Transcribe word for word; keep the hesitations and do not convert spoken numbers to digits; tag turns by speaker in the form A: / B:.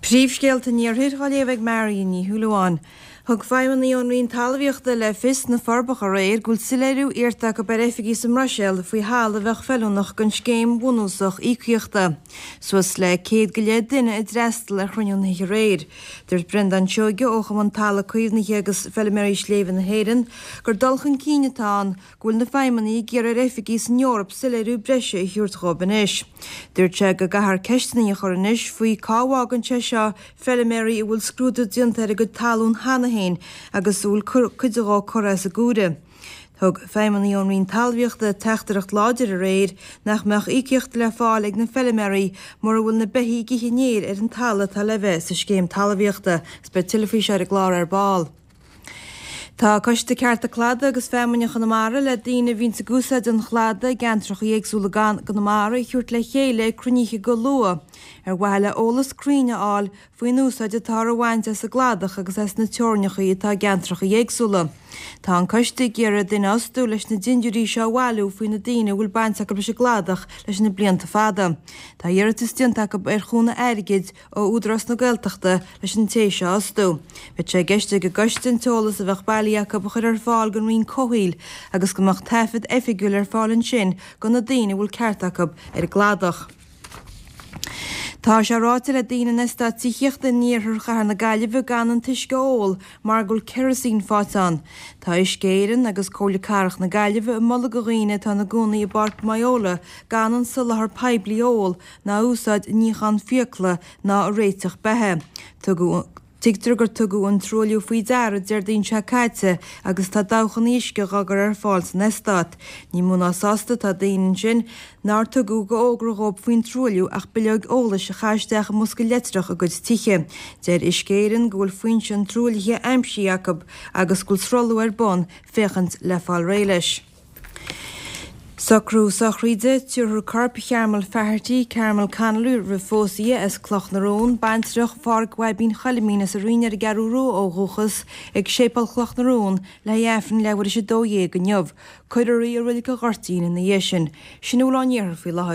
A: Príomhscéalta an Iarthair á léamh ag Marion Ní Shúilleabháin. Thug feidhmeannaigh ón Roinn Talmhaíochta le fios sna Forbacha aréir go bhfuil soiléiriú iarrta acu ar oifigigh sa mBruiséil faoi thalamh a bheadh feiliúnach don scéim bhunúsach íocaíochta. Suas le céad go leith duine a d'fhreastal ar chruinniú na hoíche aréir. Dúirt Breandán Seoige ó Chumann Talamh Caomhnaithe agus Feilméaraí Sléibhe na hÉireann gur dul chun cinn atá ann go bhfuil na feidhmeannaigh ag iarraidh ar oifigigh san Eoraip soiléiriú breise a thabhairt dhóibh anois. Dúirt sé go gcaithfear ceisteanna a chur anois faoi cá bhfágann sé seo feilméaraí a bhfuil scrúdú déanta ar a gcuid talún cheana féin agus a bhfuil cuid dhó curtha as a gcomhair. Thug feidhmeannaigh ón Roinn Talmhaíochta teachtaireacht láidir aréir nach mbeadh íocaíocht le fáil ag na feilméaraí mura bhfuil na beithígh ag ithe an fhéir ar an talamh atá le bheith sa scéim talmhaíochta. Agus beidh tuilleadh faoi seo ar an gclár ar ball. Tá Coiste Cearta Cladaigh agus Feamainne Chonamara le daoine a bhíonns ag úsáid an chladaigh i gceantracha éagsúla gConamara a thabhairt le chéile ag cruinníche go luath ar mhaithe le eolas cruinn a fháil faoin úsáid atáthar a bhaint as an gcladach agus as na teorainneacha atá i gceantracha éagsúla. Tá an coiste ag iarraidh duine a fhostú leis na dindiúirí seo a bhailiú faoi na daoine a bhfuil baint acu leis an gcladach leis na blianta fada. Tá iarratas déanta acu ar chúnamh airgid ó Údarás na Gaeltachta leis an té seo a fhostú. Beidh sé i gceist ag an gcoiste an t-eolas a bheadh bailithe acu a chur ar fáil don Roinn Comhshaoil agus go mbeadh taifead oifigiúil ar fáil ansin do na daoine a bhfuil ceart acu ar an gcladach. Tá sé ráite le daoine in eastát tithíochta in iarthar chathair na Gaillimhe gan an t-uisce a ól mar go bhfuil kerosene faighte ann. Tá Uisce Éireann agus Comhairle Cathrach na Gaillimhe ag moladh do dhaoine atá ina gcónaí i bPáirc Moyola gan an soláthar poiblí a ól ná a úsáid i níochán fiacla ná i réiteach beatha. Tugadh Tuigtear gur tugadh an truailliú faoi deara Déardaoin seo caite agus tá dabhchanna uisce dhá gcur ar fáil san eastát. Ní mó ná sásta atá daoine ansin nár tugadh d'fhógra dhóibh faoin truailliú ach bileog eolais a chaitheamh isteach i mbosca leictreach a gcuid tithe. Deir Uisce Éireann go bhfuil foinse an truaillithe aimsithe acu agus go bhfuil sruthlú ar bun féachaint le fáil réidh leis. Socrú sochraide, tabharfar corp Chearmail Faherty, Carmel Connolly roimh phósadh di, as Cloch na Rón, baintreach Phádhraic Bhaibín Choilimín as an Rinn ar an gCeathrú Rua ó dhúchas, ag Séipéal Chloch na Rón le haghaidh Aifreann leathuair tar éis a dó dhéag inniu. Cuirfear í i Reilig an Ghoirtín ina dhiaidh sin. Sin a bhfuil ón iarthar faoi láthair.